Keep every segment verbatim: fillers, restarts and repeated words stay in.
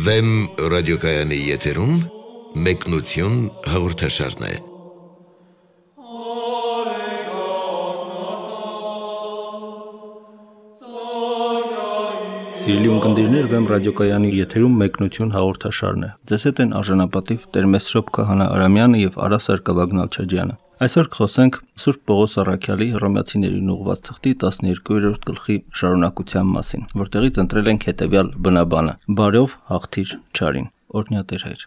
Վեմ ռադիոկայանի եթերում մեկնություն հաղորդաշարն է։ Սիրելի ունկնդիրներ, Վեմ ռադիոկայանի եթերում մեկնություն հաղորդաշարն է։ Ձեզ հետ են արժանապատիվ Տեր-Մեսրոպ Քահանա Արամյանը եւ Արա Սարգսակյան Նալչաջյանը։ Այսօր կխոսենք Սուրբ Պողոս Առաքյալի Հռոմեացիներին ուղղված թղթի տասներկուերորդ գլխի շարունակության մասին, որտեղից ընտրել ենք հետևյալ բնաբանը. Բարով հաղթիր չարին։ Օրհնյա Տեր Հայր։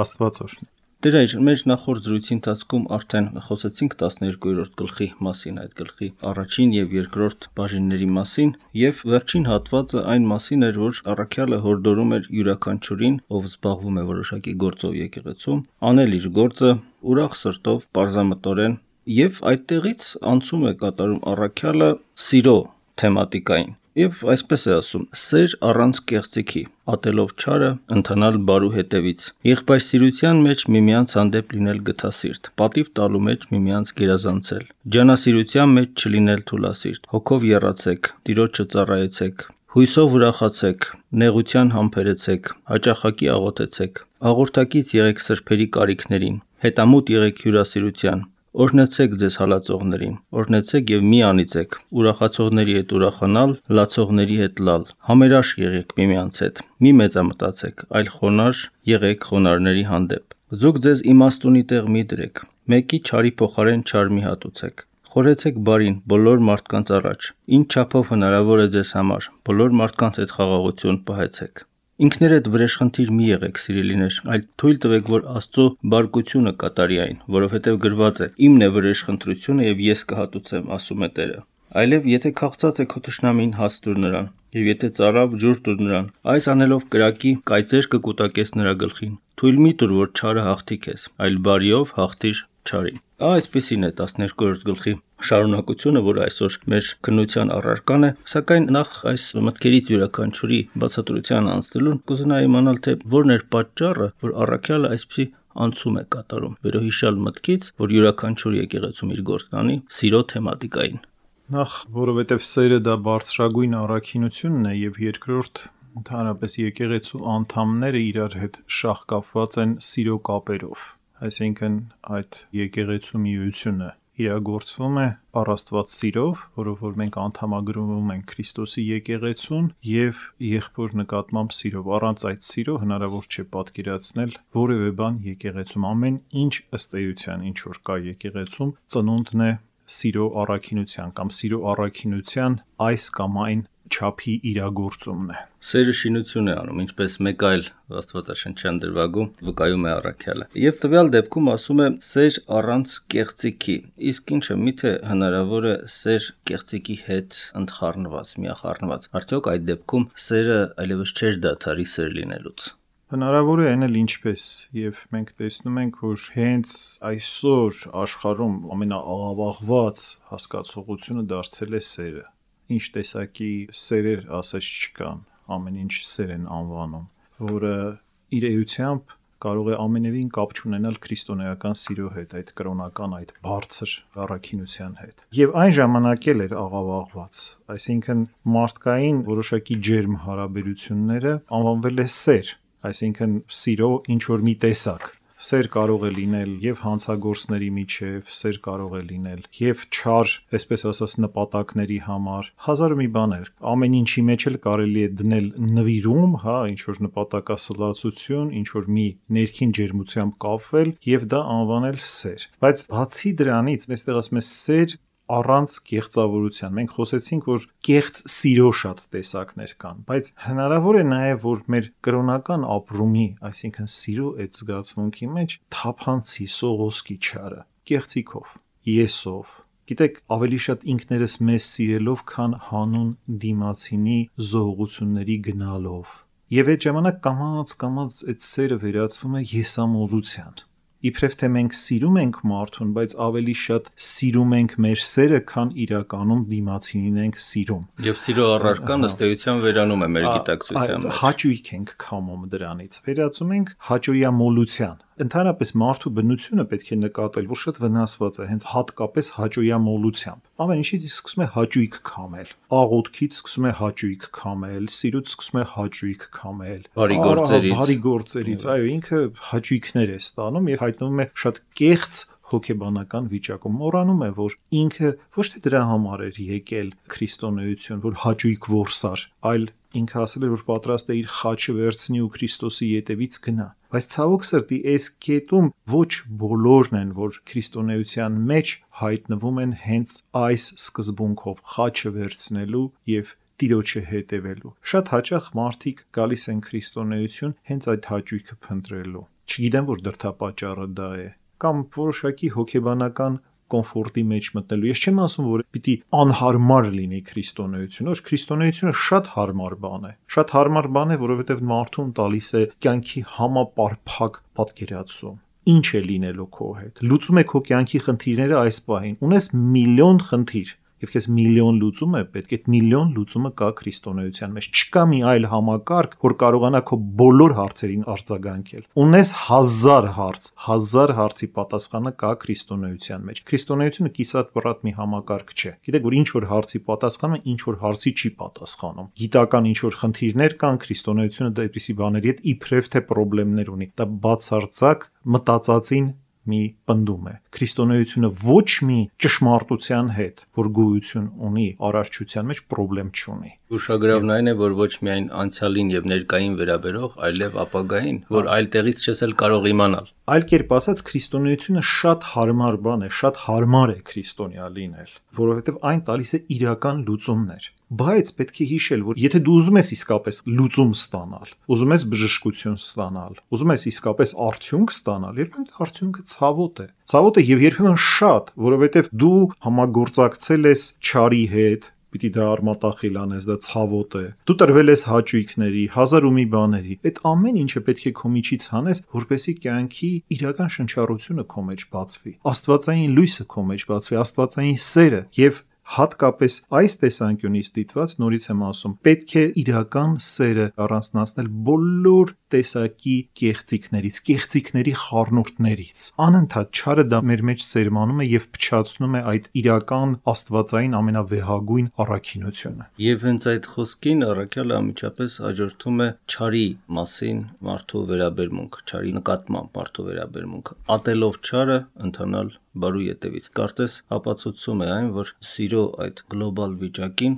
Աստված օրհնի։ Տեր Հայր, մեր նախորդ զրույցի ընթացքում արդեն խոսեցինք տասներկուերորդ գլխի մասին, այդ գլխի առաջին եւ երկրորդ բաժինների մասին, եւ վերջին հատվածը այն մասին էր, որ Առաքյալը հորդորում էր յուրաքանչյուրին, ով զբաղվում է որոշակի գործով եկեղեցում, անել իր գործը ուրախ սրտով, պարզամտորեն, եւ այդտեղից անցում է կատարում Առաքյալը սիրո թեմատիկային։ Եվ այսպես է ասում. սեր առանց կեղծիքի, ատելով չարը, ընթանալ բարու հետևից, եղբայրսիրության մեջ միմյանց հանդեպ լինել գթասիրտ, պատիվ տալու մեջ միմյանց գերազանցել, ջանասիրության մեջ չլինել թուլասիրտ, հոգով եռացեք, Տիրոջը ծառայեցեք, հույսով ուրախացեք, նեղության համբերեցեք, հաճախակի աղոթեցեք, աղոթակից եղեք սրբերի կարիքներին, հետամուտ եղեք հյուրասիրության, օրհնեցեք ձեզ հալածողներին, օրհնեցեք եւ մի անիծեք, ուրախացողների հետ ուրախանալ, լացողների հետ լալ, համերաշ եղեք միմյանց հետ, մի մեծամտածեք, այլ խոնարհ եղեք խոնարհների հանդեպ, ձուկ ձեզ իմաստունի տեղ մի դրեք, մեկի չարի փոխարեն չար մի հատուցեք, խորհեցեք բարին բոլոր մարդկանց առաջ, ինչ չափով հնարավոր է ձեզ համար, բոլոր մարդկանց հետ խաղաղություն պահեցեք։ Ինքներդ վրեժխնդիր մի եղեք, սիրելիներ, այլ թույլ տվեք, որ Աստծո բարկությունը կատարի այն, որովհետև գրված է. «Իմն է վրեժխնդրությունը եւ ես կհատուցեմ», ասում է Տերը։ Այլև եթե քաղցած է քո թշնամին, հաց տուր նրան, եւ եթե ծարավ, ջուր տուր նրան։ Այս անելով կրակի կայծեր կկուտակես նրա գլխին։ Թույլ մի տուր, որ չարը հաղթի քեզ, այլ բարիով հաղթիր չարին։ Այսպեսին է տասներկուերորդ գլխի շարունակությունը, որը այսօր մեր քննության առարկան է, սակայն նախ այս մտքերից յուրաքանչյուրի բացատրության անցնելուն կուզենայի իմանալ, թե որն էր պատճառը, որ Առաքյալը այսպիսի անցում է կատարում վերոհիշյալ մտքից, որ յուրաքանչյուր եկեղեցում իր գործն անի սիրո թեմատիկային։ Նախ, որովհետև սերը դա բարձրագույն առաքինությունն է, եւ երկրորդ, ընդհանրապես եկեղեցու անդամները իրար հետ շահկապված են սիրո կապերով, այսինքն այդ եկեղեցու միությունը իրագործվում է առաստված սիրով, որով որ մենք անդամագրվում ենք Քրիստոսի եկեղեցուն եւ եղբոր նկատմամբ սիրով։ Առանց այդ սիրո հնարավոր չէ պատկերացնել որևէ բան եկեղեցում։ Ամեն ինչ ըստ էության, ինչ որ կա եկեղեցում, ծնունդն է սիրո առաքինության կամ սիրո առաքինության այս կամ այն չափի իրագործումն է։ Սերը շինություն է անում, ինչպես մեկ այլ աստվածաշնչյան դրվագում վկայում է Առաքյալը։ Եվ տվյալ դեպքում ասում է սեր առանց կեղծիքի։ Իսկ ինչը միթե հնարավոր է սեր կեղծիքի հետ ընդխառնված, միախառնված։ Արդյոք այդ դեպքում սերը այլևս չէր դադարի սեր լինելուց։ Հնարավոր է այն էլ ինչպես, եւ մենք տեսնում ենք, որ հենց այսօր աշխարհում ամենաաղավաղված հասկացողությունը դարձել է սերը։ Ինչ տեսակի սերեր ասես չկան, ամեն ինչ սեր են անվանում, որը իր էությամբ կարող է ամենևին կապ չունենալ քրիստոնեական սիրո հետ, այդ կրոնական, այդ բարձր առաքինության հետ։ Եվ այն ժամանակ էլ էր աղավաղված, այսինքն մարդկային որոշակի ջերմ հարաբերությունները անվանվել է սեր, այսինքն սիրո ինչ որ մի տեսակ։ Սեր կարող է լինել եւ հանցագործների միջև, սեր կարող է լինել եւ չար, այսպես ասած, նպատակների համար, հազար մի բաներ։ Ամեն ինչի մեջ էլ կարելի է դնել նվիրում, հա, ինչ որ նպատակասլացություն, ինչ որ մի ներքին ջերմությամբ կապվել եւ դա անվանել սեր։ Բայց բացի դրանից, այստեղ ասում է սեր առանց կեղծավորության։ Մենք խոսեցինք, որ կեղծ սիրո շատ տեսակներ կան, բայց հնարավոր է նաև, որ մեր կրոնական ապրումի, այսինքն սիրո այդ զգացմունքի մեջ թափանցի սողոսկի չարը, կեղծիքով, եսով։ Գիտեք, ավելի շատ ինքներս մեզ սիրելով, քան հանուն դիմացինի զողողությունների գնալով։ Եվ այդ ժամանակ կամաց-կամաց այդ սերը վերածվում է եսամոլության։ Իբրև թե մենք սիրում ենք մարդուն, բայց ավելի շատ սիրում ենք մեր սերը, քան իրականում դիմացինին ենք սիրում։ Եվ սիրո առարկան ըստ էության վերանում է մեր գիտակցության մեջ։ Հաճույք ենք քամում դրանից, վերածում ենք հաճոյամոլության, Ընդհանրապես մարդու բնությունը պետք է նկատել, որ շատ վնասված է հենց հատկապես հաճոյամոլությամբ։ Ամեն ինչից սկսում է հաճույք քամել։ Աղոթքից սկսում է հաճույք քամել, սիրուց սկսում է հաճույք քամել, բարի գործերից, բարի գործերից, այո, ինքը հաճույքներ է ստանում եւ հայտնվում է շատ կեղծ հոգեբանական վիճակում, մոռանում է, որ ինքը ոչ թե դրա համար էր եկել քրիստոնեություն, որ հաճույք որսար, այլ ինքը ասել էր, որ պատրաստ է իր խաչը վերցնի ու Քրիստոսի ետևից գնա։ Բայց ցավոք սրտի, այս կետում ոչ բոլորն են, որ քրիստոնեության մեջ հայտնվում են հենց այս սկզբունքով խաչը վերցնելու եւ Տիրոջը հետևելու։ Շատ հաճախ մարդիկ գալիս են քրիստոնեություն հենց այդ հաճույքը փնտրելու։ Չգիտեմ, որ դրդապատճառը դա է, կամ որոշակի հոգեբանական կոմֆորտի մեջ մտնելու։ Ես չեմ ասում, որ պիտի անհարմար լինի քրիստոնեությունը, որ քրիստոնեությունը շատ հարմար բան է։ Շատ հարմար բան է, որովհետև մարդուն տալիս է կյանքի համապարփակ պատկերացում։ Ինչ է լինելու քո հետ։ Լուծում է քո կյանքի խնդիրները այս պահին։ Ունես միլիոն խնդիր, եւ քեզ միլիոն լուծում է պետք, այդ միլիոն լուծումը կա քրիստոնեության մեջ։ Չկա մի այլ համակարգ, որ կարողանա քո բոլոր հարցերին արձագանքել։ Ունես հազար հարց, հազար հարցի պատասխանը կա քրիստոնեության մեջ։ Քրիստոնեությունը կիսատ բռատ մի համակարգ չէ։ Գիտեք, որ ինչ որ հարցի պատասխանում է, ինչ որ հարցի չի պատասխանում։ Գիտական ինչ որ խնդիրներ կան, քրիստոնեությունը դեպիսի բաների հետ իբրև թե խնդիրներ ունի։ Դա բացարձակ մտածածին մի պնդում է։ Քրիստոնեությունը ոչ մի ճշմարտության հետ, որ գոյություն ունի արարչության մեջ, խնդրեմ չունի։ Ուշագրավն այն է, որ ոչ միայն անցյալին եւ ներկային վերաբերող, այլև ապագային, որ այլ տեղից չես էլ կարող իմանալ։ Այլ կերպ ասած, քրիստոնեությունը շատ հարմար բան է, շատ հարմար է քրիստոնյա լինել, որովհետև այն տալիս է իրական լուծումներ։ Բայց պետք է հիշել, որ եթե դու ուզում ես իսկապես լուծում ստանալ, ուզում ես բժշկություն ստանալ, ուզում ես իսկապես արդյունք ստանալ, երբեմն արդյունքը ցավոտ է։ Ցավոտ է եւ երբեմն շատ, որովհետև դու համագործակցել ես չարի հետ, պիտի դա արմատախիլ անես, դա ցավոտ է։ Դու տրվել ես հաճույքների, հազար ու մի բաների։ Այդ ամեն ինչը պետք է քո միջից հանես, որպեսզի կյանքի իրական շնչառությունը քո մեջ բացվի, աստվածային լույսը քո մեջ բացվի, աստվածային սերը եւ հատկապես այս տեսանկյունից դիտված նորից եմ ասում, պետք է իրական սերը առանձնացնել բոլոր տեսակի կեղծիքներից, կեղծիքների խառնուրդներից։ Անընդհատ չարը դա մեր մեջ սերմանում է եւ փչացնում է այդ իրական աստվածային ամենավեհագույն առաքինությունը։ Եվ հենց այդ խոսքին առաքյալը անմիջապես հաջորդում է չարի մասին մարդու վերաբերմունքը, չարի նկատմամբ մարդու վերաբերմունքը։ Ատելով չարը ընթանալ բարու ետևից։ Կարծես ապացուցում է այն, որ սիրո այդ գլոբալ վիճակին,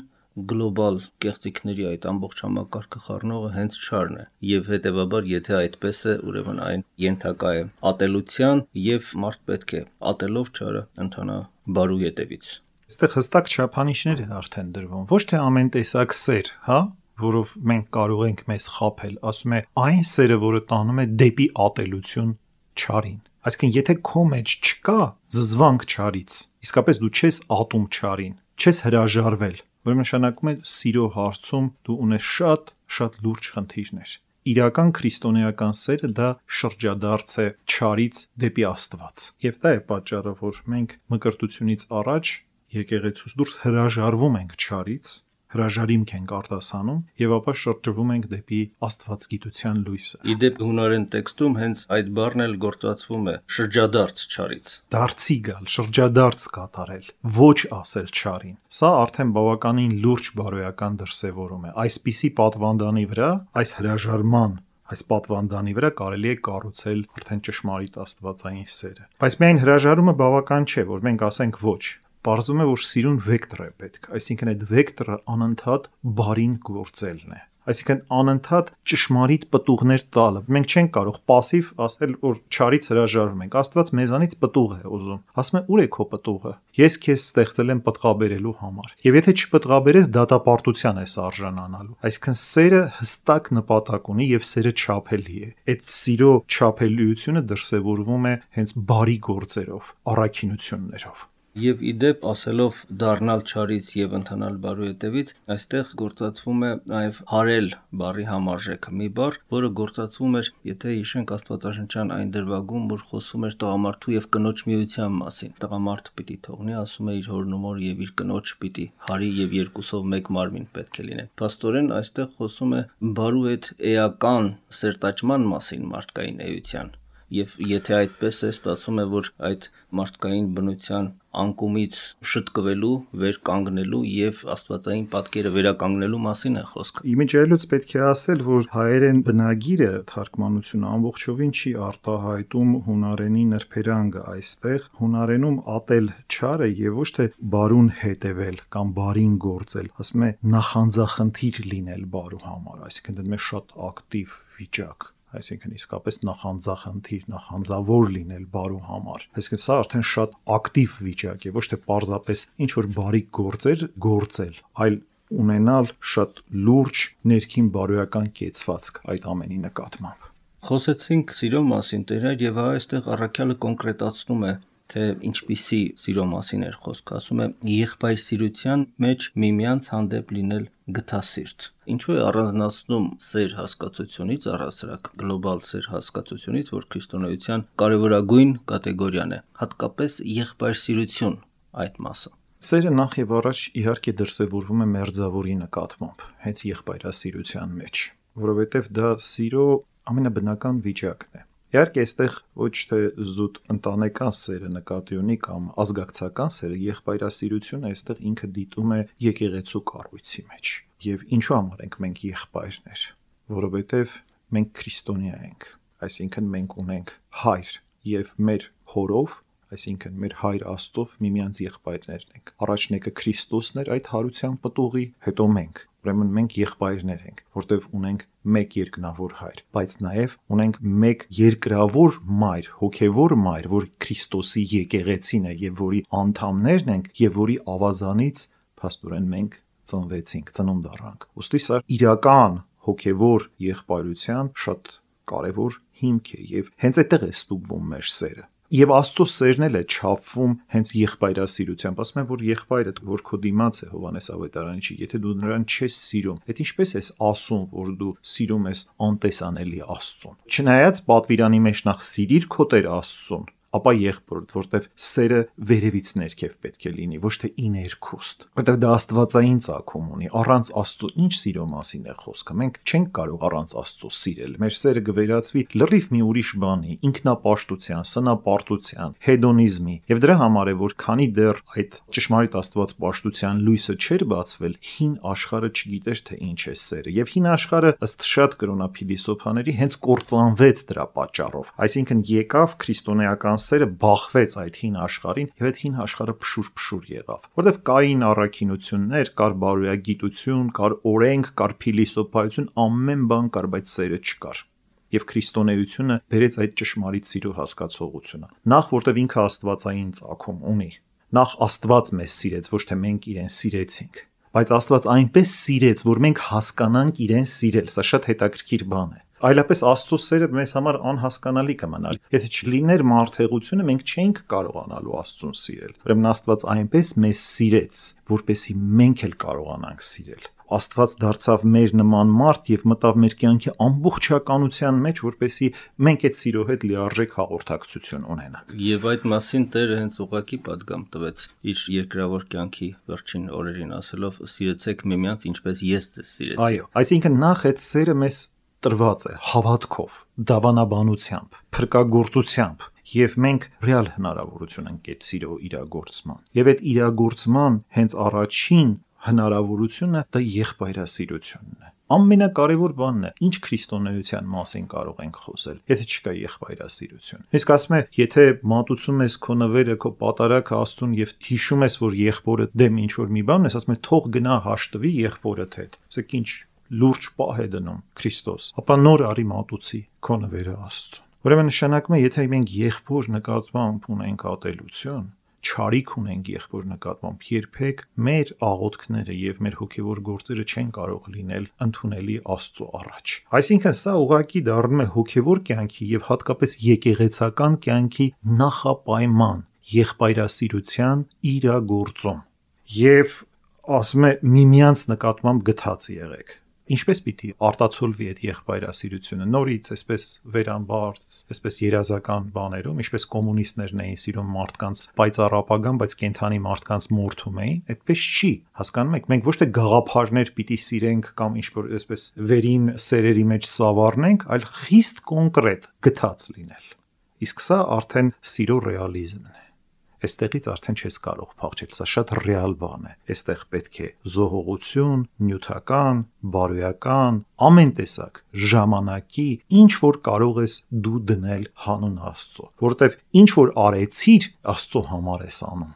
գլոբալ կեղծիքների այդ ամբողջ համակարգը խառնողը հենց չարն է։ Եվ հետևաբար, եթե այդպես է, ուրեմն այն ենթակա է ատելության եւ մարդ պետք է ատելով չարը ընթանա բարու ետևից։ Այստեղ հստակ չափանիշներ են արդեն դրվում։ Ոչ թե ամեն տեսակ սեր, հա, որով մենք կարող ենք մեզ խաբել, ասում է այն սերը, որը տանում է դեպի ատելություն չարին։ Այսինքն, եթե քո մեջ չկա զզվանք չարից, իսկապես դու չես ատում չարին, չես հրաժարվել, որ նշանակում է սիրո հարցում դու ունես շատ, շատ լուրջ խնդիրներ։ Իրական քրիստոնեական սերը դա շրջադարձ է չարից դեպի Աստված։ Եվ դա է պատճառը, որ մենք մկրտությունից առաջ եկեղեցուց դուրս հրաժարվում ենք չարից, հրաժարիմք ենք արտասանում եւ ապա շրջվում ենք դեպի աստվածգիտության լույսը։ Իդեպ հունարեն տեքստում հենց այդ բառն էլ գործածվում է շրջադարձ չարից։ Դարձի գալ, շրջադարձ կատարել, ոչ ասել չարին։ Սա արդեն բավականին լուրջ բարոյական դրսևորում է։ Այսպիսի պատվանդանի վրա, այս հրաժարման այս պատվանդանի վրա կարելի է կառուցել արդեն ճշմարիտ աստվածային սերը։ Բայց միայն հրաժարումը բավական չէ, որ մենք ասենք ոչ։ Պարզվում է, որ սիրուն վեկտոր է պետք, այսինքն այդ վեկտորը անընդհատ բարին գործելն է, այսինքն անընդհատ ճշմարիտ պտուղներ տալը։ Մենք չենք կարող пассив ասել, որ չարից հրաժարվում ենք։ Աստված մեզանից պտուղ է ուզում։ Ասում է՝ ուր է քո պտուղը։ Ես քեզ ստեղծել եմ պտղաբերելու համար։ Եվ եթե չպտղաբերես, դատապարտության ես արժանանալու։ Այսինքն սերը հստակ նպատակ ունի եւ սերը չափելի է։ Այդ սիրո չափելիությունը դրսևորվում է հենց բարի գործերով, առաքինություններով։ Եվ իդեպ ասելով դառնալ չարից եւ ընթանալ բարու ետևից, այստեղ գործածվում է նաեւ հարել բառի համարժեքը, մի բառ, որը գործածվում էր, եթե հիշենք աստվածաշնչյան այն դրվագում, որ խոսում էր տղամարդու եւ կնոջ միության մասին։ Տղամարդը պիտի թողնի, ասում է իր հորն ու մոր եւ իր կնոջ պիտի հարի եւ երկուսով մեկ մարմին պետք է լինեն։ Փաստորեն այստեղ խոսում է բարու այդ էական սերտաճման մասին մարդկային էության։ Եվ եթե այդպես է, ստացվում է, որ այդ մարդկային բնության անկումից շտկվելու, վեր կանգնելու եւ աստվածային պատկերը վերականգնելու մասին է խոսքը։ Իմիջիայլոց պետք է ասել, որ հայերեն բնագիրը թարգմանությունը ամբողջովին չի արտահայտում հունարենի նրբերանգը այստեղ, հունարենում ատել չարը եւ ոչ թե բարուն հետևել կամ բարին գործել, ասում է նախանձախնդիր լինել բարու համար, այսինքն դա մեծ շատ ակտիվ վիճակ, այսինքն իսկապես նախանձախնդիր, նախանձավոր լինել բարու համար։ Այսինքն սա արդեն շատ ակտիվ վիճակ է, ոչ թե պարզապես ինչ որ բարի գործեր գործել, այլ ունենալ շատ լուրջ ներքին բարոյական կեցվածք այդ ամենի նկատմամբ։ Խոսեցինք սիրո մասին, Տեր, եւ այստեղ առաքյալը կոնկրետացնում է, թե ինչպիսի սիրո մասին էր խոսքը, ասում է եղբայրսիրության մեջ միմյանց հանդեպ լինել գթասիրտ։ Ինչու է առանձնացնում սեր հասկացությունից, առասարակ գլոբալ սեր հասկացությունից, որ քրիստոնեության կարևորագույն կատեգորիան է, հատկապես եղբայրսիրություն այդ մասը։ Սերը նախ եւ առաջ իհարկե դրսևորվում է մերձավորի նկատմամբ, հենց եղբայրասիրության մեջ, որովհետեւ դա սիրո ամենաբնական վիճակն է։ Իհարկե, այստեղ ոչ թե զուտ ընտանեկան սերը նկատի ունի կամ ազգակցական սերը, եղբայրասիրությունը այստեղ ինքը դիտում է եկեղեցու կառույցի մեջ։ Եվ ինչու համար ենք մենք եղբայրներ, որովհետև մենք քրիստոնյա ենք, այսինքն մենք ունենք հայր եւ մեր հորով, այսինքն մեր հայր Աստծով միմյանց եղբայրներն ենք։ Առաջն եկը Քրիստոսն էր այդ հարության պտուղի, հետո մենք։ Ուրեմն մենք եղբայրներ ենք, որտեղ ունենք մեկ երկնավոր հայր, բայց նաև ունենք մեկ երկրավոր մայր, հոգևոր մայր, որ Քրիստոսի եկեղեցին է եւ որի անդամներն ենք եւ որի ավազանից փաստորեն մենք ծնվեցինք, ծնունդ առանք։ Ոստի սա իրական հոգևոր եղբայրության շատ կարևոր հիմք է եւ հենց այդտեղ է ստուգվում մեր սերը։ Եվ Աստծո սերն էլ է չափվում հենց եղբայրասիրությամբ, ասում են, որ եղբայրը, որ քո դիմաց է Հովհաննես Ավետարանի չի, եթե դու նրան չես սիրում, այդ ինչպես ես ասում, որ դու սիրում ես անտեսանելի Աստծուն։ Չնայած պատվիրանի մեջ նախ սիրիր քո Տեր Աստծուն, ապա եղբորդ, որտեվ սերը վերևից ներքև պետք է լինի, ոչ թե իներքուստ, որտեվ դա աստվածային ծագում ունի, առանց Աստծո ինչ սիրո մասին է խոսքը, մենք չենք կարող առանց Աստծո սիրել, մեր սերը կվերածվի լրիվ մի ուրիշ բանի, ինքնապաշտության, սնապարտության, հեդոնիզմի, եւ դրա համար է, որ քանի դեռ այդ ճշմարիտ աստվածպաշտության լույսը չէր բացվել, հին աշխարհը չգիտեր թե ինչ է սերը, եւ հին աշխարհը ըստ շատ կրոնափիլիսոփաների հենց կործանվեց դրա պատճառով, այսինքն եկավ քրիստոնեական սերը բախվեց այդ հին աշխարհին եւ այդ հին աշխարհը փշուր-փշուր եղավ, որտեվ կային առաքինություններ, կար բարոյագիտություն, կար օրենք, կար փիլիսոփայություն, ամեն բան կար, բայց սերը չկար։ Եվ քրիստոնեությունը բերեց այդ ճշմարիտ սիրո հասկացողությունը։ Նախ որտեվ ինքը աստվածային ծագում ունի։ Նախ Աստված մեզ սիրեց, ոչ թե մենք իրեն սիրեցինք։ Բայց Աստված այնպես սիրեց, որ մենք հասկանանք իրեն սիրել։ Սա շատ հետաքրքիր բան է։ Այլապես Աստծո սերը մեզ համար անհասկանալի կմնար։ Եթե չլիներ մարդեղությունը, մենք չէինք կարողանալու Աստծուն սիրել։ Ուրեմն Աստված այնպես մեզ սիրեց, որպեսզի մենք էլ կարողանանք սիրել։ Աստված դարձավ մեր նման մարդ եւ մտավ մեր կյանքի ամբողջականության մեջ, որպեսզի մենք այդ սիրո հետ լիարժեք հաղորդակցություն ունենանք։ Եվ այդ մասին Տերը հենց ուղղակի պատգամ տվեց իր երկրավոր կյանքի վերջին օրերին, ասելով. «Սիրեցեք միմյանց, ինչպես ես ձեզ սիրեցի»։ Այո, այսինքն նախ այդ սերը մեզ տրված է հավատքով, դավանաբանությամբ, փրկagorցությամբ, եւ մենք ռեալ հնարավորություն ենք այդ սիրո իրագործման։ Եվ այդ իրագործման հենց առաջին հնարավորությունը դա եղբայրասիրությունն է։ Ամենակարևոր բանն է, ինչ քրիստոնեության մասին կարող ենք խոսել, եթե չկա եղբայրասիրություն։ Իսկ ասում է, եթե մատուցում ես քո նվերը, քո պատարագը Աստծուն եւ հիշում ես, որ եղբորը դեմ ինչ որ մի բան ես, ասում է, թող գնա հաշտվի եղբորդ հետ։ Ասեք ինչ լուրջ պահ է դնում Քրիստոս, ապա նոր արի մատուցի քո նվերը Աստծուն։ Ուրեմն նշանակում է, եթե մենք եղբոր նկատմամբ ունենք ատելություն, չարիք ունենք եղբոր նկատմամբ, երբեք մեր աղոթքները եւ մեր հոգեվոր գործերը չեն կարող լինել ընդունելի Աստծո առաջ։ Այսինքն սա ուղղակի դառնում է հոգեվոր կյանքի եւ հատկապես եկեղեցական կյանքի նախապայման, եղբայրասիրության իրագործում։ Եվ ասում է միմյանց նկատմամբ գթած եղեք։ Ինչպես պիտի արտացոլվի այդ եղբայրասիրությունը նորից, այսպես վերամբարձ, այսպես երազական բաներում, ինչպես կոմունիստներն էին սիրում մարդկանց պայծառ ապագան, բայց կենթանի մարդկանց մորթում էին, այդպես չի, հասկանում եք, մենք ոչ թե գաղափարներ պիտի սիրենք կամ ինչ-որ այսպես վերին սերերի մեջ սավառնենք, այլ խիստ կոնկրետ գթած լինել։ Իսկ սա արդեն սիրո ռեալիզմն է։ Այստեղից արդեն չես կարող փախչել, սա շատ ռեալ բան է։ Այստեղ պետք է զողողություն, նյութական, բարոյական, ամեն տեսակ ժամանակի, ինչ որ կարող ես դու դնել հանուն Աստծո, որովհետև ինչ որ արեցիր, Աստծո համար ես անում։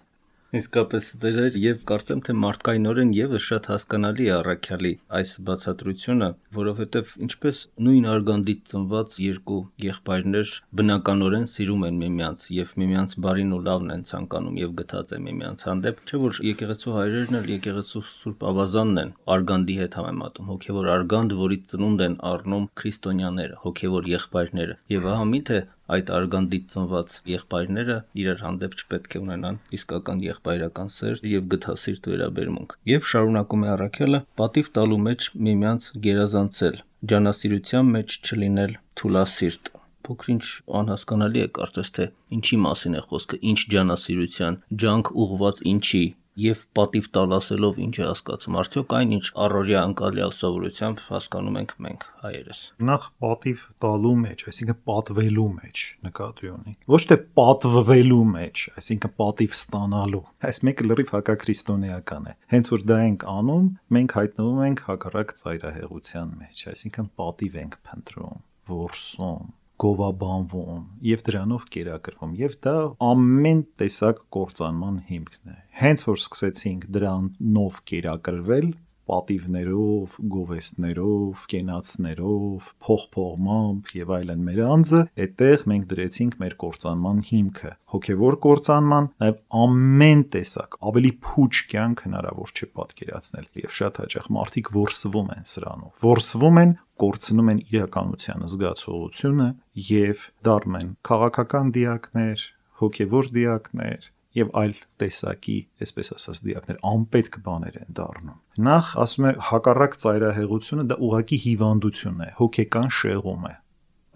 Իսկապես դեր եւ կարծեմ թե մարդկայինորեն եւս շատ հասկանալի է առաքյալի այս բացատրությունը, որովհետեւ ինչպես նույն արգանդից ծնված երկու եղբայրներ բնականորեն սիրում են միմյանց եւ միմյանց բարին ու լավն են ցանկանում եւ գթած են միմյանց հանդեպ, չէ՞ որ եկեղեցու հայրերն էլ եկեղեցու Սուրբ Ավազանն են արգանդի հետ համեմատում, հոգեվոր արգանդ, որից ծնունդ են առնում քրիստոնյաները, հոգեվոր եղբայրները։ Եվ ահա միթե այդ արգանդից ծնված եղբայրները իրար հանդեպ չպետք է ունենան իսկական եղբայրական սեր եւ գթասիրտ վերաբերմունք։ Եվ շարունակում է առաքյալը, պատիվ տալու մեջ միմյանց գերազանցել, ջանասիրության մեջ չլինել թուլասիրտ։ Փոքրինչ անհասկանալի է կարծես թե ինչի մասին է խոսքը, ինչ ջանասիրության, ջանք ուղված ինչի եւ պատիվ տալ ասելով ինչ է հասկացում, արդյոք այն ինչ առօրյա անկալյալ սովորությամբ հասկանում ենք մենք հայերս։ Նախ պատիվ տալու մեջ, այսինքն պատվելու մեջ նկատի ունի, ոչ թե պատվվելու մեջ, այսինքն պատիվ ստանալու։ Այս մեկը լրիվ հակաքրիստոնեական է։ Հենց որ դա ենք անում, մենք հայտնվում ենք հակառակ ծայրահեղության մեջ, այսինքն պատիվ ենք փնտրում, որսում, գովաբանվում եւ դրանով կերակրվում, եւ դա ամեն տեսակ կործանման հիմքն է։ Հենց որ սկսեցինք դրանով կերակրվել, պատիվներով, գովեստներով, կենացներով, փողփողմամբ եւ այլն մեր անձը, այդտեղ մենք դրեցինք մեր կործանման հիմքը, հոգեվոր կործանման, նաեւ ամեն տեսակ ավելի փուչ կյանք հնարավոր չէ պատկերացնել, եւ շատ հաճախ մարդիկ որսվում են սրանով, որսվում են, կորցնում են իրականության զգացողությունը եւ դառնում են քաղաքական դիակներ, հոգեվոր դիակներ եւ այլ տեսակի, այսպես ասած, դիակներ, անպետք բաներ են դառնում։ Նախ ասում է հակառակ ծայրահեղությունը դա ուղղակի հիվանդություն է, հոգեկան շեղում է։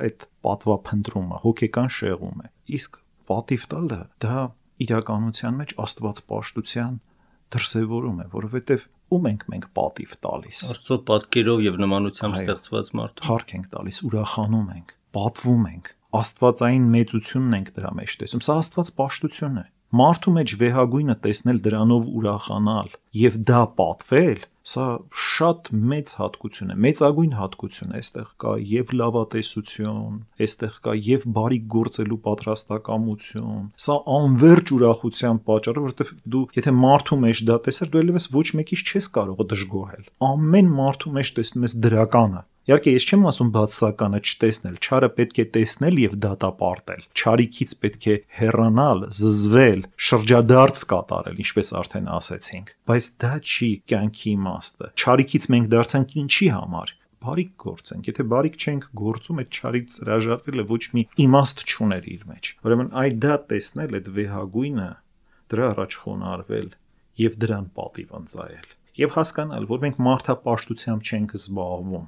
Այդ պատվափնտրումը հոգեկան շեղում է։ Իսկ պատիվ տալը դա իրականության մեջ աստվածպաշտության դրսևորում է, որովհետեւ ում ենք մենք պատիվ տալիս։ Աստծո պատկերով եւ նմանությամբ ստեղծված մարդու։ Փառք ենք տալիս, ուրախանում ենք, պատվում ենք, աստվածային մեծությունն ենք դրա մեջ տեսնում։ Սա աստվածպաշտություն է։ Մարդու մեջ վեհագույնը տեսնել, դրանով ուրախանալ եւ դա պատվել, սա շատ մեծ հատկություն է, մեծագույն հատկություն է, այստեղ կա եւ լավատեսություն, այստեղ կա եւ բարիք գործելու պատրաստակամություն, սա անverջ ուրախության պատճառ է, որովհետեւ դու եթե մարդու մեջ դա տեսար, դու ելևս ոչ մեկից չես կարող դժգոհել, ամեն մարդու մեջ տեսնում ես դրականը։ Իհարկե ես չեմ ասում բացասականը չտեսնել, չարը պետք է տեսնել եւ դատապարտել, չարիքից պետք է հեռանալ, զզվել, շրջադարձ կատարել, ինչպես արդեն ասեցինք, բայց դա չի կյանքի իմաստը։ Չարիքից մենք դարձանք ինչի համար։ Բարիք գործենք, եթե բարիք չենք գործում, այդ չարից հրաժարվելը ոչ մի իմաստ չուներ իր մեջ։ Ուրեմն այդ դա տեսնել, այդ վեհագույնը, դրա առաջ խոնարհվել եւ դրան պատիվ ընծայել եւ հասկանալ, որ մենք մարդապաշտությամբ չենք զբաղվում։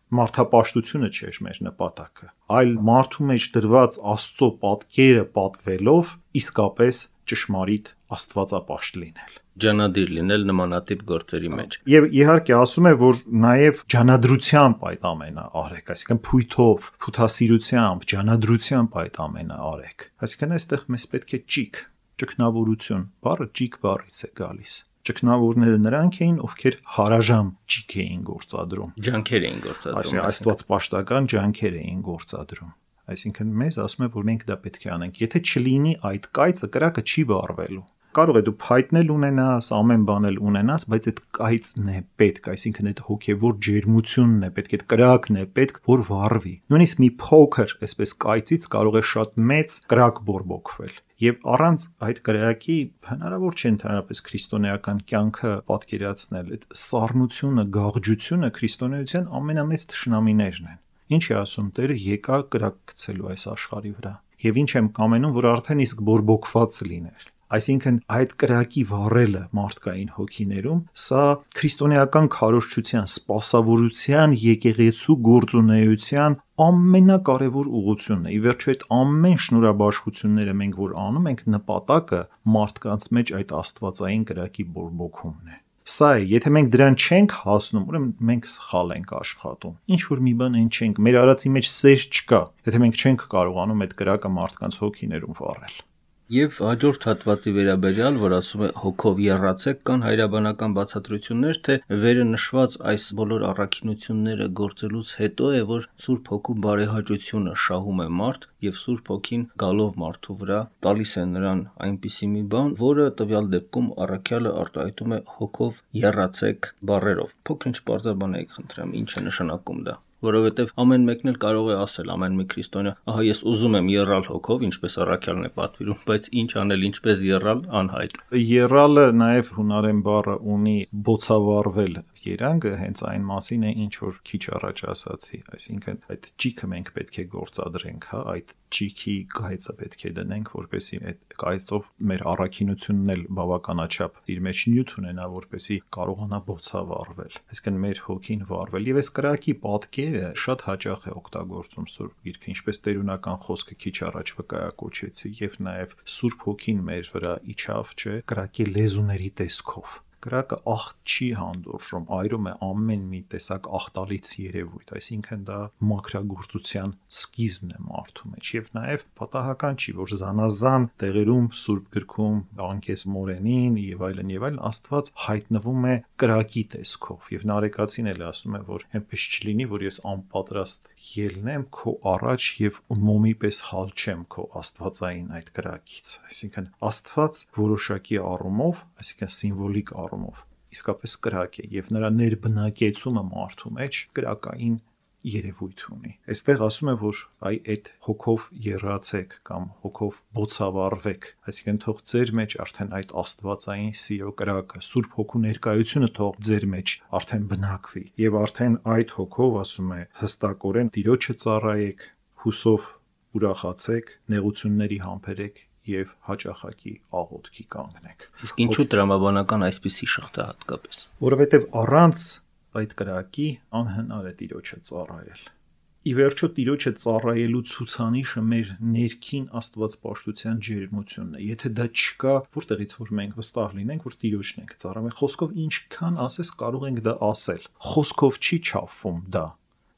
Մարդապաշտությունը չէր մեր նպատակը, այլ մարդու մեջ դրված Աստծո պատկերը պատվելով իսկապես ճշմարիտ աստվածապաշտ լինել, ջանադիր լինել նմանատիպ գործերի մեջ։ Եվ իհարկե ասում է, որ նաև ջանադրությամբ այդ ամենը արեք, այսինքն փույթով, փութասիրությամբ, ջանադրությամբ այդ ամենը արեք։ Այսինքն այստեղ մեզ պետք է ճիգ, ճգնավորություն, բառը ճիգ բառից է գալիս։ Ճգնավորները նրանք էին, ովքեր հարաժամ ճիգ էին գործադրում, ջանքեր էին գործադրում, այսինքն աստվածպաշտական ջանքեր էին գործադրում։ Այսինքն մեզ ասում է, որ մենք դա պետք է անենք։ Եթե չլինի այդ կայծը, կրակը չի վառվելու։ Կարող է դու փայտնել ունենաս, ամեն բան էլ ունենաս, բայց այդ կայծն է պետք, այսինքն այդ հոգևոր ջերմությունն է պետք, այդ կրակն է պետք, որ վառվի։ Նույնիսկ մի փոքր, այսպես կայծից կարող է շատ մեծ կրակ բորբոքվել։ Եվ առանց այդ կրակի հնարավոր չէ ընդհանրապես քրիստոնեական կյանքը պատկերացնել։ Այդ սառնությունը, գաղջությունը քրիստոնեության ամենամեծ թշնամիներն են։ Ինչ է ասում Տերը, եկա կրակ գցելու այս աշխարհի վրա։ Եվ ինչ եմ կամենում, որ արդեն իսկ բորբոքված լիներ։ Այսինքն այդ կրակի վառելը մարդկային հոգիներում, սա քրիստոնեական քարոզչության, սպասավորության, եկեղեցու գործունեության ամենակարևոր ուղղությունն է։ Ի վերջո այդ ամեն շնորհաբաշխությունները մենք որ անում ենք, նպատակը մարդկանց մեջ այդ աստվածային կրակի բորբոքումն է։ Սա է, եթե մենք դրան չենք հասնում, ուրեմն մենք սխալ ենք աշխատում։ Ինչ որ մի բան այն չենք, մեր արածի մեջ սեր չկա, եթե մենք չենք կարողանում այդ կրակը մարդկանց հոգիներում վառել։ Եվ հաջորդ հատվածի վերաբերյալ, որ ասում է հոգով եռացեք, կան հայրաբանական բացատրություններ, թե վերը նշված այս բոլոր առաքինությունները գործելուց հետո է, որ Սուրբ Հոգու բարեհաճությունը շահում է մարդ, եւ Սուրբ Հոգին գալով մարդու վրա տալիս է նրան այնպիսի մի բան, որը տվյալ դեպքում առաքյալը արտահայտում է հոգով եռացեք բառերով։ Փոքր-ինչ բարձրաբանեք, խնդրեմ, ինչ է նշանակում դա։ Որովհետև ամեն մեկն էլ կարող է ասել, ամեն մի քրիստոնյա, ահա ես ուզում եմ եռալ հոգով, ինչպես առաքյալն է պատվիրում, բայց ինչ անել, ինչպես եռալ, անհայտ։ Եռալը նաև հունարեն բառը ունի բոցավառվել երանգը, հենց այն մասին է, ինչ որ քիչ առաջ ասացի, այսինքն այդ ճիքը մենք պետք է գործադրենք, հա, այդ ճիքի գայծը պետք է դնենք, որպեսզի այդ գայծով մեր առաքինությունն էլ բավականաչափ իր մեջ նյութ ունենա, որպեսզի կարողանա բոցավառվել, այսինքն մեր հոգին վառվել։ Եվ այս կրակի պատկերը շատ հաճախ է օգտագործում Սուրբ Գիրքը, ինչպես տերունական խոսքը քիչ առաջ վկայակոչեցի, եւ նաև Սուրբ Հոգին մեր վրա իջավ, չէ, կրակի լեզուների տեսքով։ Կրակը աղտ չի հանդուրժում, այրում է ամեն մի տեսակ աղտալից երևույթ, այսինքն դա մաքրագործության սկիզբն է մարդու մեջ, եւ նաեւ պատահական չի, որ զանազան տեղերում Սուրբ Գրքում, Անկեսմորենին եւ այլն եւ այլն Աստված հայտնվում է կրակի տեսքով, եւ Նարեկացին էլ ասում է, որ այնպես չլինի, որ ես անպատրաստ ելնեմ քո առաջ եւ մոմի պես հալչեմ քո աստվածային այդ կրակից, այսինքն Աստված որոշակի առումով, այսինքն սիմվոլիկ առումով իսկապես կրակ է եւ նրա ներբնակեցումը մարդու մեջ կրակային երևույթ ունի։ Այստեղ ասում է, որ այ այդ հոգով եռացեք կամ հոգով բոցավառվեք, այսինքն թող ձեր մեջ արդեն այդ աստվածային սիրո կրակը, Սուրբ Հոգու ներկայությունը թող ձեր մեջ արդեն բնակվի եւ արդեն այդ հոգով ասում է հստակորեն Տիրոջը ծառայեք, հուսով ուրախացեք, նեղությունների համբերեք եւ հաճախակի աղոթքի կանգնեք։ Իսկ ինչու տրամաբանական այսպիսի շղթա հատկապես։ Որովհետեւ առանց այդ կրակի անհնար է Տիրոջը ծառայել։ Ի վերջո Տիրոջը ծառայելու ցուցանիշը մեր ներքին աստվածպաշտության ջերմությունն է։ Եթե դա չկա, որտեղից որ մենք վստահ լինենք, որ Տիրոջն ենք ծառայում, խոսքով ինչքան ասես կարող ենք դա ասել։ Խոսքով չի չափվում դա։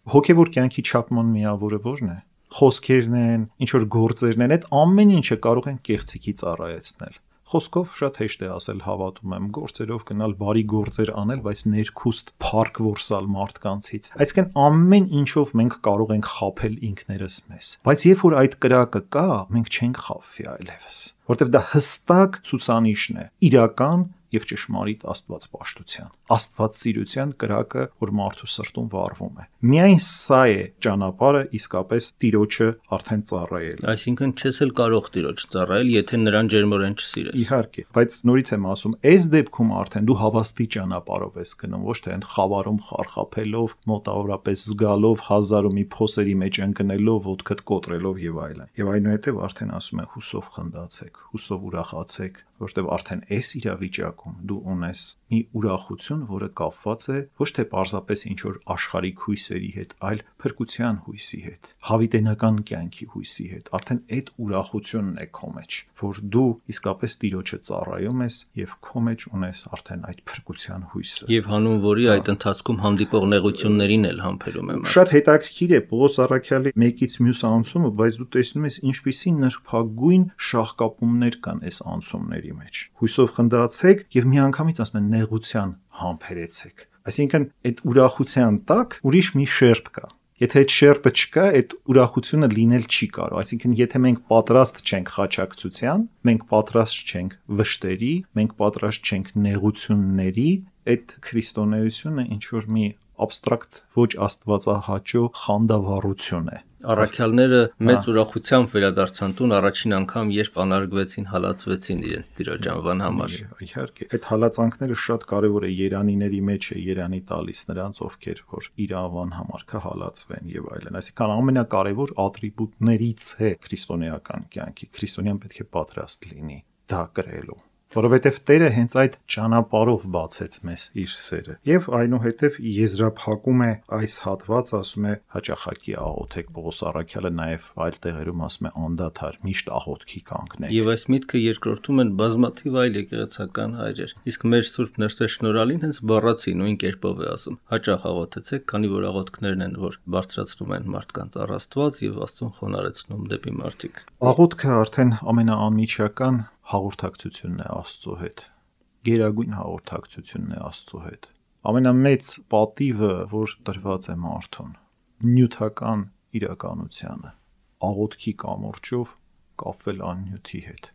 Հոգևոր կյանքի չափման միավորը ո՞րն է։ Խոսքերն են, ինչ որ գործերն են, այդ ամեն ինչը կարող են կեղծիքի ծառայեցնել։ Խոսքով շատ հեշտ է ասել հավատում եմ, գործերով գնալ բարի գործեր անել, բայց ներքուստ փառք որսալ մարդկանցից։ Այսինքն ամեն ինչով մենք կարող ենք խաբել ինքներս մեզ։ Բայց երբ որ այդ կրակը կա, մենք չենք խաբվի այլևս, որտեղ դա հստակ ցուցանիշն է իրական եւ ճշմարիտ աստվածպաշտության, աստվածսիրության կրակը, որ մարդու սրտում վառվում է։ Միայն սա է ճանապարհը իսկապես Տիրոջը արդեն ծառայել։ Այսինքն չես էլ կարող Տիրոջ ծառայել, եթե նրան ջերմորեն չսիրես։ Իհարկե, բայց նորից եմ ասում, այս դեպքում արդեն դու հավաստի ճանապարհով ես գնում, ոչ թե այն խավարում խարխափելով, մոտավորապես զգալով, հազար ու մի փոսերի մեջ ընկնելով, ոտքդ կոտրելով եւ այլն։ Եվ այնուհետեւ արդեն ասում է հուսով խնդացեք, հուսով ուրախացեք, որտեղ արդեն այս իրավիճակում դու ունես մի ուրախություն, որը կապված է ոչ թե պարզապես ինչ որ աշխարհիկ հույսերի հետ, այլ փրկության հույսի հետ, հավիտենական կյանքի հույսի հետ։ Արդեն այդ ուրախությունն է քո մեջ, որ դու իսկապես Տիրոջը ծառայում ես եւ քո մեջ ունես արդեն այդ փրկության հույսը։ Եւ հանուն որի այդ ընթացքում հանդիպող նեղություններին էլ համբերում եմ։ Շատ հետաքրքիր է Պողոս առաքյալի մեկից մյուս անցումը, բայց դու տեսնում ես ինչպիսի նրբագույն շահկապումներ կան այս անցումների մեջ։ Հույսով խնդացեք եւ միանգամից ասում են նեղության համբերեցեք։ Այսինքն այդ ուրախության տակ ուրիշ մի շերտ կա։ Եթե այդ շերտը չկա, այդ ուրախությունը լինել չի կարող։ Այսինքն եթե մենք պատրաստ չենք խաչակցության, մենք պատրաստ չենք վշտերի, մենք պատրաստ չենք նեղությունների, այդ քրիստոնեությունը ինչ որ մի абստրակտ ոչ աստվածահաճո խանդավառություն է։ Առաքյալները մեծ ուրախությամբ վերադարձան տուն առաջին անգամ, երբ անարգվեցին, հալածվեցին իրենց Տիրոջ անվան համար։ Իհարկե, այդ հալածանքները շատ կարևոր է երանիների մեջ է երանի տալիս նրանց, ովքեր որ իր անվան համար կհալածվեն եւ այլն։ Այսինքն ամենակարևոր ատրիբուտներից է քրիստոնեական կյանքի։ Քրիստոնյան պետք է պատրաստ լինի դա կրելու։ Որովհետև Տերը հենց այդ ճանապարհով բացեց մեզ իր սերը։ Եվ այնուհետև եզրափակում է այս հատվածը, ասում է հաճախակի աղոթեք, Պողոս առաքյալը նաև այլ տեղերում ասում է անդադար միշտ աղոթքի կանգնեք։ Եվ այս միտքը երկրորդում են բազմաթիվ այլ եկեղեցական հայրեր։ Իսկ մեր Սուրբ Նրտե շնորհալին հենց բառացի նույն կերպով է ասում. հաճախ աղոթեցեք, քանի որ աղոթքներն են, որ բարձրացնում են մարդկանց առ Աստված եւ Աստծուն խոնարհեցնում դեպի մարդիկ։ Աղոթքը արդեն ամենաանմիջական հաղորդակցությունն է Աստծո հետ, գերագույն հաղորդակցությունն է Աստծո հետ, ամենամեծ պատիվը, որ տրված է մարդուն, նյութական իրականությանը, աղոթքի կամուրջով կապվել աննյութի հետ,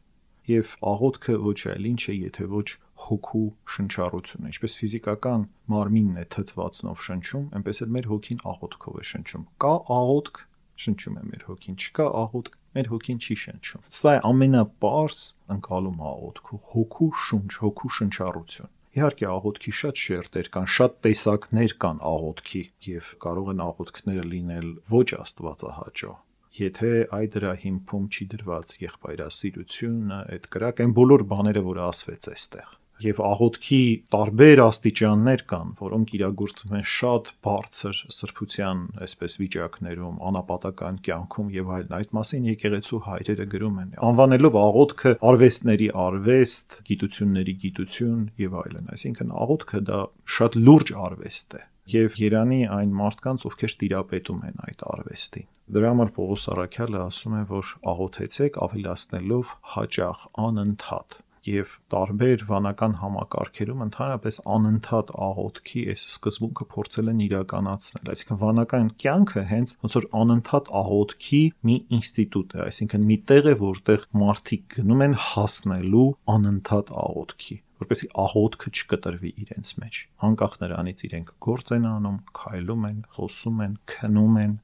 եւ աղոթքը ոչ այլ ինչ է, եթե ոչ հոգու շնչառությունը, ինչպես ֆիզիկական մարմինն է թթվածնով շնչում, այնպես էլ մեր հոգին աղոթքով է շնչում, կա աղոթք, շնչում է մեր հոգին, չկա աղոթք, մեր հոգին չի շնչում։ Սա է ամենապարզ ընկալում աղոթքու, հոգու շունչ, հոգու շնչառություն։ Իհարկե աղոթքի շատ շերտեր կան, շատ տեսակներ կան աղոթքի եւ կարող են աղոթքները լինել ոչ աստվածահաճո։ Եթե այդ դրա հիմքում չի դրված եղբայրասիրությունը, այդ կրակ այն բոլոր բաները, որ ասվեց այստեղ։ Եվ աղոթքի տարբեր աստիճաններ կան, որոնք իրագործվում են շատ բարձր սրբության այսպես վիճակներում, անապատական կյանքում եւ այլն։ Այդ մասին եկեղեցու հայրերը գրում են, անվանելով աղոթքը արվեստների արվեստ, գիտությունների գիտություն եւ այլն։ Այսինքն աղոթքը դա շատ լուրջ արվեստ է եւ Երանի այն մարդկանց, ովքեր տիրապետում են այդ արվեստին։ Դրա համար Պողոս առաքյալը ասում է, որ աղոթեցեք ավելացնելով հաճախ, անընդհատ։ Եվ տարբեր վանական համակարգերում ընդհանրապես անընդհատ աղոթքի այս սկզբունքը փորձել են իրականացնել։ Այսինքն վանական կյանքը հենց ոնց որ անընդհատ աղոթքի մի ինստիտուտ է, այսինքն մի տեղ է, որտեղ մարդիկ գնում են հասնելու անընդհատ աղոթքի, որպեսզի աղոթքը չկտրվի իրենց մեջ։ Անկախ նրանից իրենք գործ են անում, քայլում են, խոսում են, քնում են,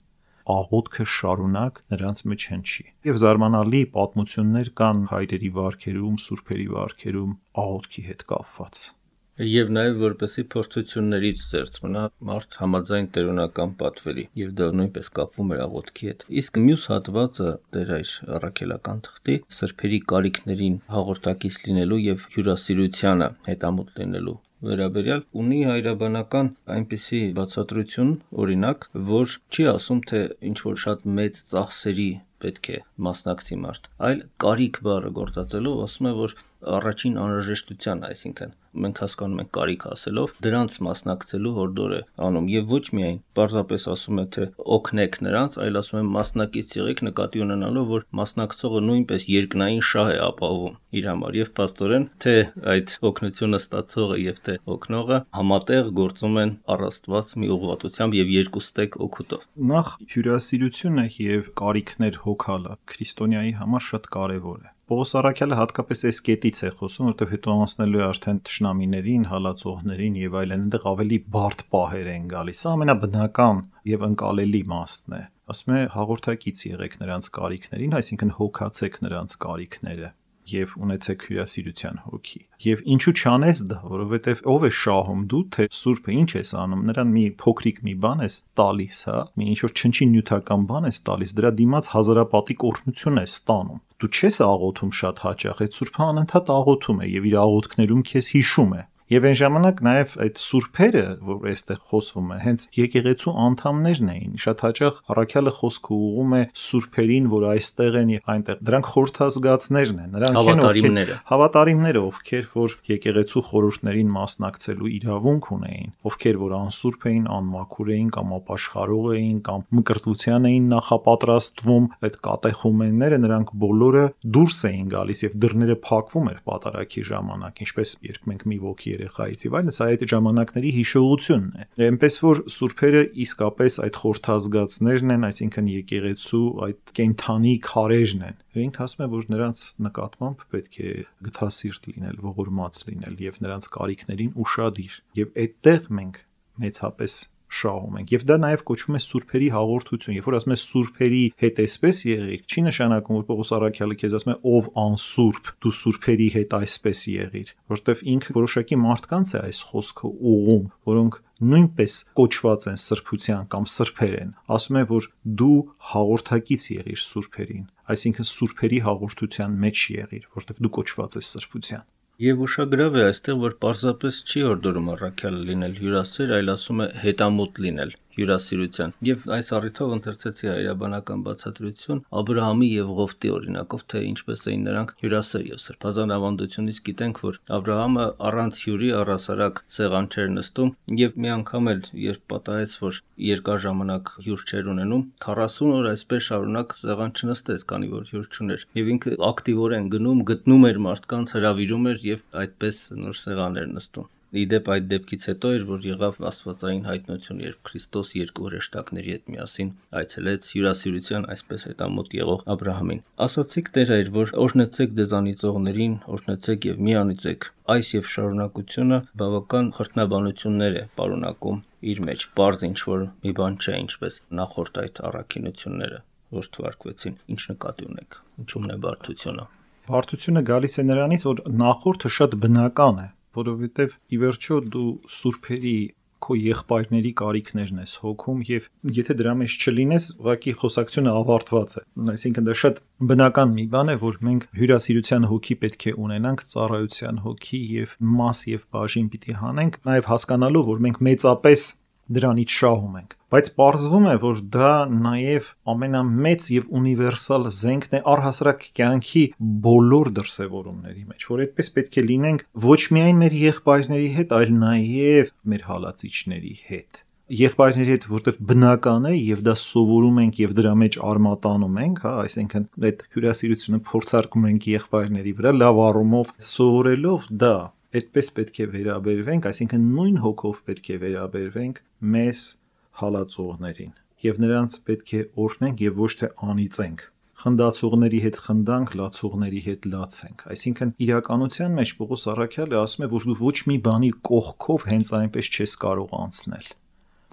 աղոթքը շարունակ նրանց մեջ հնչի։ Եվ զարմանալի պատմություններ կան հայրերի վարքերում, սուրբերի վարքերում աղոթքի հետ կապված։ Եվ նաև որպեսի փորձություններից ծերծ մնա մարդ համաձայն տերունական պատվերի, եւ դա նույնպես կապվում էր աղոթքի հետ։ Իսկ մյուս հատվածը Տեր այս առաքելական թղթի սրբերի կարիքներին հաղորդակից լինելու եւ հյուրասիրությանը հետամուտ լինելու վերաբերյալ ունի հայրաբանական այնպիսի բացատրություն, օրինակ, որ չի ասում, թե ինչ որ շատ մեծ ծախսերի պետք է մասնակցի մարդ, այլ կարիք բառը գործածելով ասում է, որ առաջին անհրաժեշտության, այսինքն մենք հասկանում ենք կարիք ասելով, դրանց մասնակցելու հորդոր է անում եւ ոչ միայն պարզապես ասում է, թե օգնեք նրանց, այլ ասում է մասնակից եղեք նկատի ունենալով, որ մասնակցողը նույնպես երկնային շահ է ապահովում իր համար եւ փաստորեն թե այդ օգնությունը ստացողը եւ թե օգնողը համատեղ գործում են առ Աստված մի ուղղվածությամբ եւ երկուստեք օգուտով։ Նախ հյուրասիրությունը եւ կարիքներ հոգալը քրիստոնյայի համար շատ կարեւոր է։ Պողոս առաքյալը հատկապես այս կետից է խոսում, որտեղ հետո անցնելու է արդեն թշնամիներին, հալածողներին եւ այլն, այնտեղ ավելի բարդ պահեր են գալիս։ Սա ամենաբնական եւ ընկալելի մասն է։ Ասում է հաղորդակից եղեք նրանց կարիքներին, այսինքն հոգացեք նրանց կարիքները եւ ունեցեք հյուրասիրության հոգի։ Եվ ինչու չանես դա, որովհետեւ ով է շահում դու, թե Սուրբը ինչ ես անում, նրան մի փոքրիկ մի բան ես տալիս, հա, մի ինչ որ չնչին նյութական բան ես տալիս, դրա դիմաց հազարապատիկ օրհնություն ես ստանում։ Դու չես աղոթում շատ հաճախ, այդ Սուրբը անընդհատ աղոթում է եւ իր աղոթքներում քեզ հիշում է։ Եվ այն ժամանակ նաև այդ սուրբերը, որ այստեղ խոսվում է, հենց եկեղեցու անդամներն էին։ Շատ հաճախ առաքյալը խոսքը ուղղում է սուրբերին, որ այստեղ են եւ այնտեղ։ Դրանք խորհրդազգացներն են, նրանք են հավատարիմները, ովքեր որ եկեղեցու խորհուրդներին մասնակցելու իրավունք ունեին, ովքեր որ անսուրբ էին, անմաքուր էին կամ ապաշխարող էին կամ մկրտության էին նախապատրաստվում, այդ կատեխումենները նրանք բոլորը դուրս էին գալիս եւ դռները փակվում էր պատարագի ժամանակ, ինչպես երբ մենք մի ոգի երեխայից եւ այլն, սա այդ ժամանակների հիշողությունն է։ Այնպես որ սուրբերը իսկապես այդ խորհրդազգացներն են, այսինքն եկեղեցու այդ կենթանի քարերն են։ Եվ ինքը ասում է, որ նրանց նկատմամբ պետք է գթասիրտ լինել, ողորմած լինել եւ նրանց կարիքներին ուշադիր։ Եվ այդտեղ մենք մեծապես շահում ենք։ Եվ դա նաև կոչվում է սուրբերի հաղորդություն։ Երբ որ ասում ես սուրբերի հետ այսպես եղիր, չի նշանակում, որ Պողոս առաքյալը քեզ ասում է ով անսուրբ, դու սուրբերի հետ այսպես եղիր, որովհետև ինքը որոշակի մարդկանց է այս խոսքը ուղում, որոնք նույնպես կոչված են սրբության կամ սրբեր են։ Ասում է, որ դու հաղորդակից եղիր սուրբերին, այսինքն սուրբերի հաղորդության մեջ եղիր, որովհետև դու կոչված ես սրբության։ Եվ ուշագրավ է այստեղ, որ պարզապես չի հորդորում առաքյալը լինել հյուրասեր, այլ ասում է հետամուտ լինել հյուրասիրության։ Եվ այս առիթով ընթերցեցի հայրաբանական բացատրություն Աբրահամի եւ Ղովտի օրինակով, թե ինչպես էին նրանք հյուրասեր եւ սրբազան ավանդությունից գիտենք, որ Աբրահամը առանց հյուրի առասարակ սեղան չէր նստում եւ մի անգամ էլ երբ պատահեց, որ երկար ժամանակ հյուր չէր ունենում, քառասուն օր այսպես շարունակ սեղան չնստեց, քանի որ հյուր չուներ։ Եվ ինքը ակտիվորեն գնում, գտնում էր մարդկանց, հրավիրում էր եւ այդպես նոր սեղան էր նստում։ Իդեպ այդ դեպքից հետո էր, որ եղավ աստվածային հայտնություն, երբ Քրիստոս երկու հրեշտակների հետ միասին այցելեց հյուրասիրության այսպես հետամուտ եղող Աբրահամին։ Ասացիք Տեր այր, որ օրհնեցեք դեզանիծողներին, օրհնեցեք եւ մի անիծեք։ Այս եւ շարունակությունը բավական խրտնաբանություններ է պարունակում իր մեջ, բարձ ինչ որ մի բան չէ, ինչպես նախորդ այդ առաքինությունները, որ թվարկվեցին։ Ինչ նկատի ունեք, ինչու՞մն է բարդությունը։ Բարդությունը գալիս է նրանից, որ նախորդը շատ բնական է, որովհետև ի վերջո դու սուրբերի քո եղբայրների կարիքներն ես հոգում եւ եթե դրա մեջ չլինես, ուղղակի խոսակցությունը ավարտված է։ Այսինքն դա շատ բնական մի բան է, որ մենք հյուրասիրության հոգի պետք է ունենանք, ծառայության հոգի եւ մաս եւ բաժին պիտի հանենք, նաեւ հասկանալու, որ մենք մեծապես դրանից շահում ենք, բայց պարզվում է, որ դա նաև ամենամեծ եւ ունիվերսալ զենքն է առհասարակ կյանքի բոլոր դրսևորումների մեջ, որ այդպես պետք է լինենք ոչ միայն մեր եղբայրների հետ, այլ նաև մեր հալածիչների հետ։ Եղբայրների հետ, որտեվ բնական է եւ դա սովորում ենք եւ դրա մեջ արմատանում ենք, հա, այսինքն այդ հյուրասիրությունը փորձարկում ենք եղբայրների վրա լավ առումով սովորելով դա այդպես պետք է վերաբերվենք, այսինքն նույն հոգով պետք է վերաբերվենք մեզ հալածողներին եւ նրանց պետք է օրհնենք եւ ոչ թե անիծենք։ Խնդացողների հետ խնդանք, լացողների հետ լացենք։ Այսինքն իրականության մեջ Պողոս առաքյալը ասում է, որ դու ոչ մի բանի կողքով հենց այնպես չես կարող անցնել։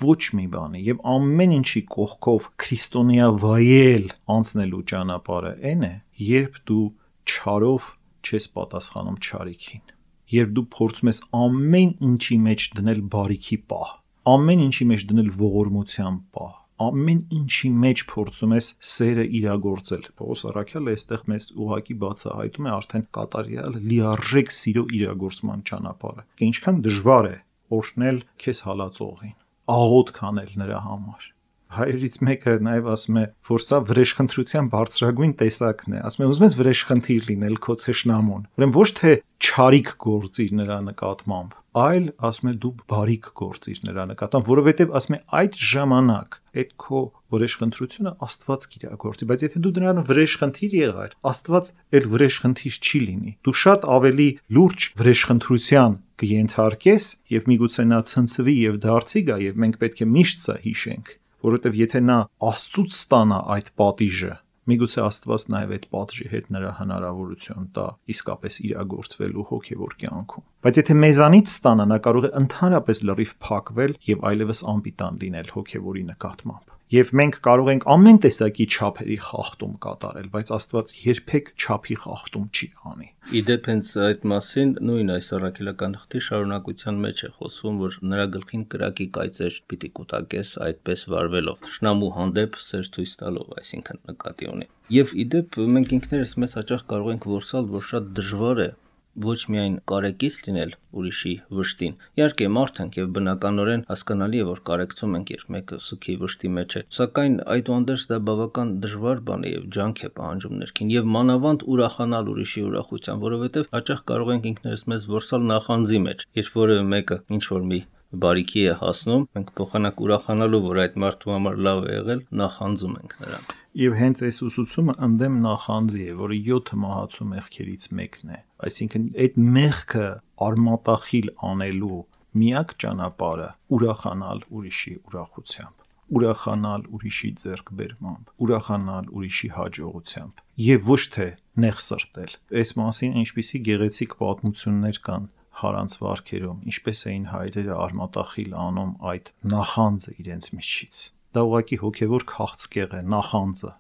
Ոչ մի բանի եւ ամեն ինչի կողքով քրիստոնյա վայել անցնելու ճանապարհը այն է, երբ դու չարով չես պատասխանում չարիքին։ Երբ դու փորձում ես ամեն ինչի մեջ դնել բարիքի պահ, ամեն ինչի մեջ դնել ողորմության պահ, ամեն ինչի մեջ փորձում ես սերը իրագործել։ Պողոս առաքյալը այստեղ մեզ ուղղակի բացահայտում է արդեն կատարյալ լիարժեք սիրո իրագործման ճանապարհը։ Ինչքան դժվար է օրհնել քեզ հալածողին, աղոթք անել նրա համար։ Հայրից մեկը նաև ասում է, որ սա վրեժխնդրության բարձրագույն տեսակն է։ Ասում է, ուզում ես վրեժխնդիր լինել քո թշնամուն։ Ուրեմն ոչ թե չարիք գործիր նրա նկատմամբ, այլ ասում է դու բարիք գործիր նրա նկատմամբ, որովհետև ասում է այդ ժամանակ այդ քո վրեժխնդրությունը Աստված կիրագործի, բայց եթե դու դրան վրեժխնդիր եղար, Աստված էլ վրեժխնդիր չի լինի։ Դու շատ ավելի լուրջ վրեժխնդրության կենթարկես եւ միգուցե նա ցնցվի եւ դարձի գա եւ մենք պետք է միշտ սա հիշենք, որովհետև եթե նա Աստծուց ստանա այդ պատիժը, միգուցե Աստված նաև այդ պատժի հետ նրա հնարավորություն տա իսկապես իրագործվելու հոգևոր կյանքում։ Բայց եթե մեզանից ստանա, նա կարող է ընդհանրապես լրիվ փակվել եւ այլևս անպիտան լինել հոգևորի նկատմամբ։ Եվ մենք կարող ենք ամեն տեսակի չափերի խախտում կատարել, բայց Աստված երբեք չափի խախտում չի անի։ Իդեպ հենց այդ մասին նույն այս առաքելական թղթի շարունակության մեջ է խոսվում, որ նրա գլխին կրակի կայծեր պիտի կուտակես այդպես վարվելով, թշնամու հանդեպ սեր ցույց տալով, այսինքն նկատի ունի։ Եվ իդեպ մենք ինքներս մեզ հաճախ կարող ենք որսալ, որ շատ դժվար է ոչ միայն կարեկից լինել ուրիշի վշտին։ Իհարկե մարդ ենք եւ բնականորեն հասկանալի է, որ կարեկցում ենք, երբ մեկը սուքի վշտի մեջ է, սակայն այդուհանդերձ դա բավական դժվար բան է եւ ջանք է պահանջում ներքին եւ մանավանդ ուրախանալ ուրիշի ուրախության, որովհետեւ հաճախ կարող ենք ինքներս մեզ որսալ նախանձի մեջ, երբ որևէ մեկը ինչ որ մի բարիքի է հասնում, մենք փոխանակ ուրախանալու, որ այդ մարդու համար լավ է եղել, նախանձում ենք նրան։ Եվ հենց այս ուսուցումը ընդդեմ նախանձի է, որը յոթ մահացու մեղքերից մեկն է։ Այսինքն այդ մեղքը արմատախիլ անելու միակ ճանապարհը ուրախանալ ուրիշի ուրախությամբ, ուրախանալ ուրիշի ձեռքբերմամբ, ուրախանալ ուրիշի հաջողությամբ եւ ոչ թե նեղ սրտել։ Այս մասին ինչպիսի գեղեցիկ պատմություններ կան Հարանց վարքերում, ինչպես էին հայրերը արմատախիլ անում այդ նախանձը իրենց միջից։ Դա ուղղակի հոգևոր քաղցկեղ է, նախանձը,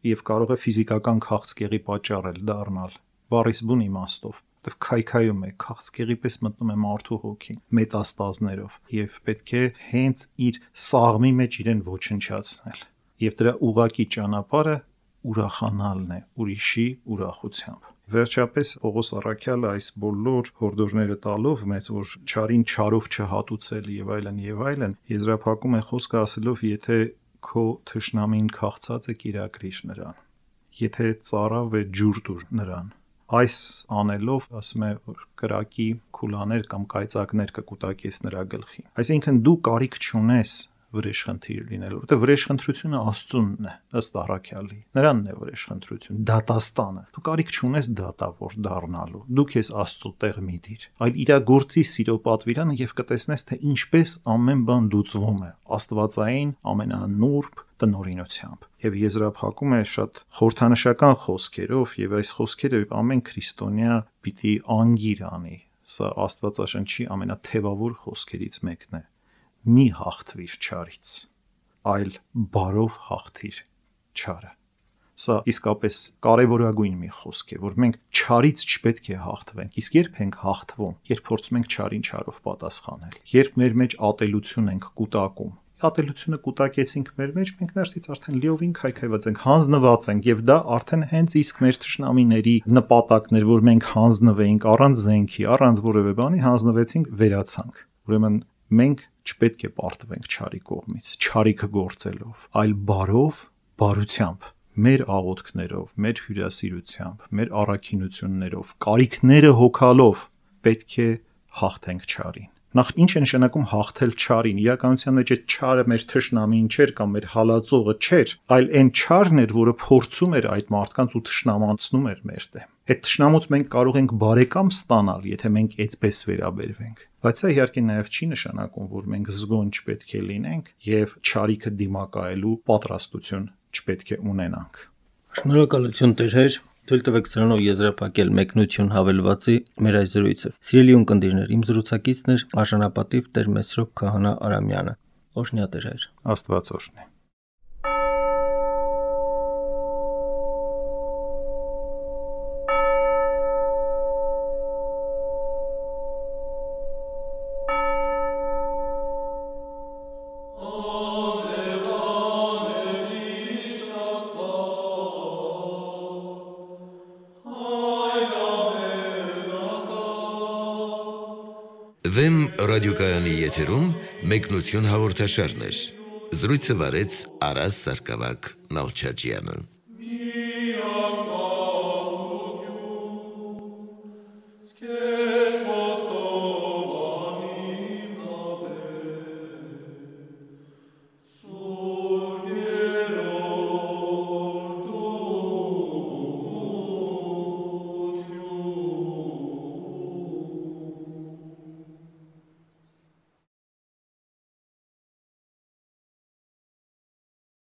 եւ կարող է ֆիզիկական քաղցկեղի պատճառ էլ դառնալ, բառիս բուն իմաստով, որտեվ քայքայում է, քաղցկեղի պես մտնում է մարդու հոգին, մետաստազներով, եւ պետք է հենց իր սաղմի մեջ իրեն ոչնչացնել։ Եվ դրա ուղղակի ճանապարհը ուրախանալն է ուրիշի ուրախությամբ։ Վերջապես Պողոս առաքյալը այս բոլոր հորդորները տալով մեզ, որ չարին չարով չհատուցել եւ այլն եւ այլն, եզրափակում է խոսքը ասելով, եթե քո թշնամին քաղցած է, կիրակրիր նրան, եթե ծարավ է, ջուր տուր նրան։ Այս անելով ասում է, որ կրակի քուլաներ կամ կայծակներ կկուտակես նրա գլխին։ Այսինքն դու կարիք չունես վրեժխնդիր լինելու, որտեղ վրեժխնդրությունը Աստծունն է, ըստ առաքյալի։ Նրանն է վրեժխնդրություն, դատաստանը։ Դու կարիք չունես դատավոր դառնալու։ Դու քեզ Աստծո տեղ մի դիր, այլ իրագործի սիրո պատվիրանը եւ կտեսնես, թե ինչպես ամեն բան լուծվում է աստվածային ամենանուրբ տնօրինությամբ։ Եվ եզրափակում է շատ խորհրդանշական խոսքերով, եւ այս խոսքերը ամեն քրիստոնյա պիտի անգիր անի։ Սա Աստվածաշնչի ամենաթևավոր խոսքերից մեկն է։ Մի հաղթվիր չարից, այլ բարով հաղթիր չարը։ Սա իսկապես կարևորագույն մի խոսք է, որ մենք չարից չպետք է հաղթվենք, իսկ երբ ենք հաղթվում, երբ փորձում ենք չարին չարով պատասխանել, երբ մեր մեջ ատելություն ենք կուտակում, ատելությունը կուտակեցինք մեր մեջ, մենք ներսից արդեն լիովին քայքայված ենք, հանձնված ենք, եւ դա արդեն հենց իսկ մեր թշնամիների նպատակն էր, որ մենք հանձնվեինք առանց զենքի, առանց որևէ բանի հանձնվեցինք, վերացանք։ Ուրեմն մենք չպետք է պարտվենք չարի կողմից, չարիքը գործելով, այլ բարով, բարությամբ, մեր աղոթքներով, մեր հյուրասիրությամբ, մեր առաքինություններով, կարիքները հոգալով պետք է հաղթենք չարին։ Նախ ինչ է նշանակում հաղթել չարին։ Իրականության մեջ այդ չարը մեր թշնամին չէր կամ մեր հալածողը չէր, այլ այն չարն էր, որը փորձում էր այդ մարդկանց ու թշնամանցնում էր մեր դեմ։ Այդ թշնամուց մենք կարող ենք բարեկամ ստանալ, եթե մենք այդպես վերաբերվենք։ Բայց սա իհարկե նաև չի նշանակում, որ մենք զգոն չպետք է լինենք եւ չարիքը դիմակայելու պատրաստություն չպետք է ունենանք։ Շնորհակալություն Տեր, թույլ տվեք սրանով եզրափակել մեկնություն հավելվածի մեր այս զրույցը։ Սիրելի ունկնդիրներ, իմ զրուցակիցն էր Արժանապատիվ Տեր Մեսրոպ Քահանա Արամյանը։ Օրհնյա Տեր։ Աստված օրհնի։ Վեմ ռադիոկայանի եթերում մեկնություն հաղորդաշարներ։ Զրույցը վարեց Արաս Սարգսակյան Նալչաջյանը։